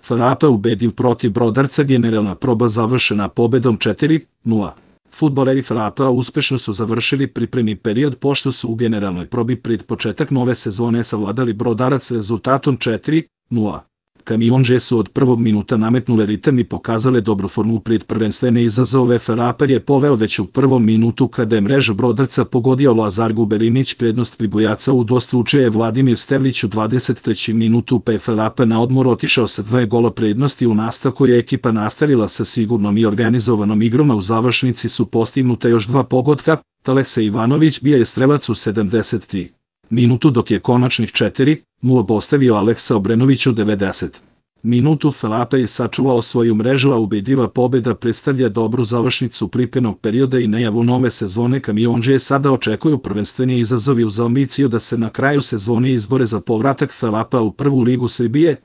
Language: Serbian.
FAP ubedio protiv Brodarca, generalna proba završena pobedom 4:0. Fudbaleri FAP-a uspešno su završili pripremni period pošto su u generalnoj probi pred početak nove sezone savladali Brodarac rezultatom 4:0. Kamiondže su od prvog minuta nametnule ritam i pokazale dobru formu pred prvenstvene izazove. FAP je poveo već u prvom minutu kada je mrežu Brodarca pogodio Lazar Guberinić, prednost Pribojaca udvostručuje Vladimir Stevlić u 23. minutu, pa je FAP na odmor otišao sa 2 gola prednosti. U nastavku je ekipa nastavila sa sigurnom i organizovanom igrom, a u završnici su postignuta još 2 pogotka. Aleksa Ivanović bio je strelac u 73. minutu, dok je konačnih 4:0 postavio Aleksa Obrenović u 90. minutu. FAP je sačuvao svoju mrežu, a ubedljiva pobeda predstavlja dobru završnicu pripremnog perioda i najavu nove sezone. Kamiondže sada očekuju prvenstveni izazovi uz ambiciju da se na kraju sezone izbore za povratak FAP-a u prvu ligu Srbije.